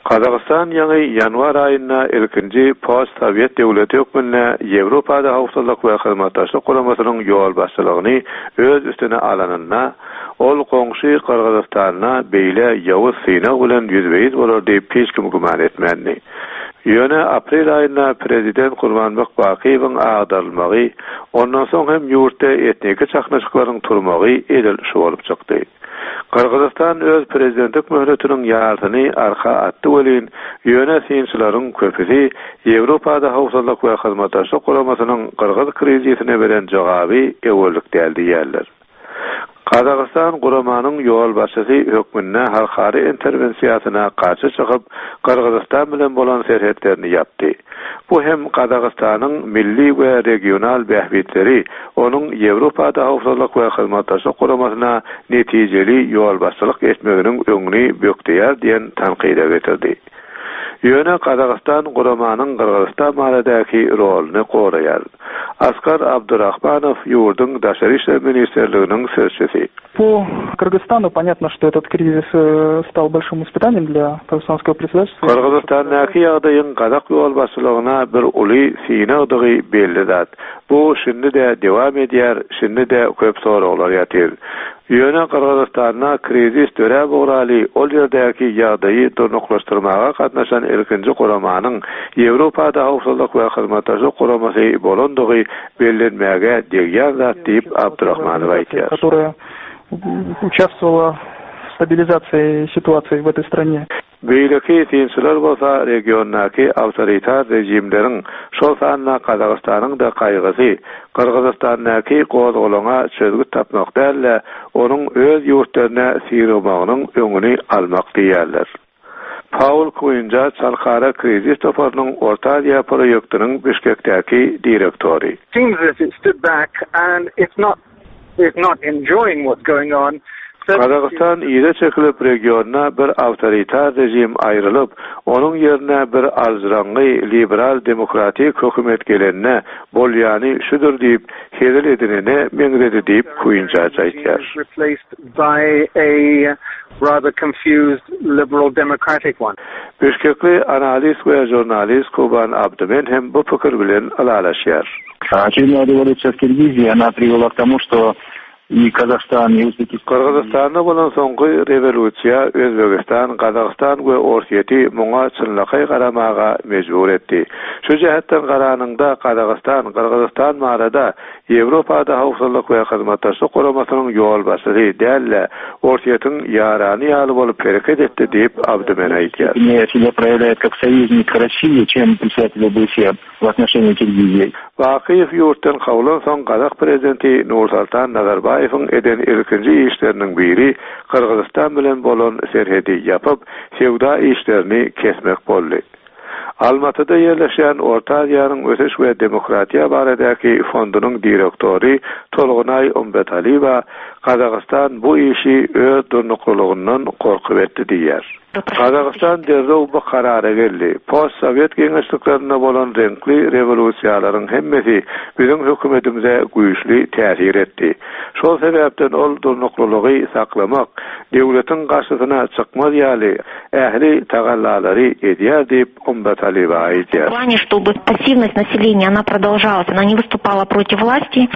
Gazagystan ýaňy ýanwar aýynda ilkinji post-sowet döwleti hökmünde Ýewropada Howpsuzlyk we Hyzmatdaşlyk Guramasynyň ýolbaşçylygyny öz üstüne alanynda, ol goňşy Gyrgyzystanda beýle ýowuz synag bilen ýüzbe-ýüz bolar diýip hiç kim güman etmändi. Ýöne aprel aýynda prezident Kurmanbek Bakyýewiň agdarylmagy, ondan soň hem ýurtda etniki çaknyşyklaryň turmagy edil şu bolup çykdy. Gyrgyzystan öz prezidentlik möhletiniň ýarsyny arka atdy welin, ýöne synçylaryň köpüsi Ýewropada Howpsuzlyk we Hyzmatdaşlyk Guramasynyň gyrgyz krizisine beren jogaby öwerlik däl diýýärler. Gazagystan guramanyň ýolbaşçysy hökmünde halkara interwensiýasyna garşy çykyp, Gyrgyzystan bilen bolan serhetlerini ýapdy. Bu hem Gazagystanyň milli we regional bähbitleri onuň Ýewropada Howpsuzlyk we Hyzmatdaşlyk Guramasyna netijeli ýolbaşçylyk etmeginiň öňüni bökdeýär diýen tankyda getirdi. Ýöne Gazagystan guramanyň Gyrgyzystan baradaky roluny goraýar. Askar Abdurahmanow ýurduň Daşary işler ministrliginiň sözçüsi. Po Kyrgyzstanu ponýatno, şto etot krizis stal bolşim ispytaniýem dlýa kazahstanskogo predsedatelstwa. Gyrgyzystandaky ýagdaýyň gazak ýolbaşçylygyna bir uly synagdygy belli zat. Bu şindi-de dewam edýär, şindi-de köp soraglar ýatyr. Ýöne Gyrgyzystanda krizis döräp ugraly ol ýerdäki ýagdaýy durnuklaşdyrmaga gatnaşan ilkinji guramanyň Ýewropada Howpsuzlyk we Hyzmatdaşlyk Guramasy bolandygy bellenmäge degýän zat diýip, Abdurahmanow aýdýar. Которая участвовала в стабилизации ситуации в этой стране. Beýleki synçylar bolsa regiondaky awtoritar režimleriň, şol sanda Gazagystanyň-da gaýgysy Gyrgyzystandaky gozgalaňa çözgüt tapmak däl-de, onuň öz ýurtlaryna syrygmagynyň öňüni almak diýýärler. Paul Kuinjaç Halkara krizis toparynyň Orta Aziýa proýektiniň Bişkekdäki direktory. Seems as it stood back and it's not is not enjoying what's going on. Gazagystan yza çekilip regionda bir awtoritar režim aýrylyp, onuň ýerine bir aljyraňňy liberal demokratik hökümet gelende bolýany şudur diýip hezil edinene meňzedi diýip Kuinjaç aýtýar. By a rather confused liberal democratic one. Bişkekli analist we žurnalist Kuban Abdymen hem bu pikir bilen ylalaşýar. Очередная rewolýusiýa w Kirgiziýi, ona priwela k tomu, şto i Kazahstan, i Uzbekistan. Gyrgyzystanda bolan soňky rewolýusiýa Özbegistan, Gazagystan we Orsýeti muňa çynlakaý garamaga mejbur etdi. Şu jähetden garanyňda Gazagystan, Gyrgyzystan barada Ýewropada Howpsuzlyk we Hyzmatdaşlyk Guramasynyň ýolbaşçysy däl-de, Orsýetiň ýarany ýaly bolup hereket etdi diýip, Abdymen aýdýar. Bakyýew ýurtdan kowlan soň gazak prezidenti Nursoltan Nazarbaýewiň eden ilkinji işleriniň biri Gyrgyzystan bilen bolan serhedi ýapyp, söwda işlerini kesmek boldy. Almatyda ýerleşýän Orta Aziýanyň ösüş we demokratiýa baradaky fondunyň direktory Tolgunaý Umbetaliýewa Gazagystan bu işi öz durnuklylygyndan gorkup etdi diýýär. Gazagystan derrew bu karara geldi. Post-sowet geňeşliklerinde bolan reňkli rewolýusiýalaryň hemmesi biziň hökümetimize güýçli täsir etdi. Şol sebäpden ol durnuklylygy saklamak, döwletiň garşysyna çykmaz ýaly ähli tagallalary edýär diýip, Umbataliýewa aýdýar. Чтобы пассивность населения она продолжалась, она не выступала против власти.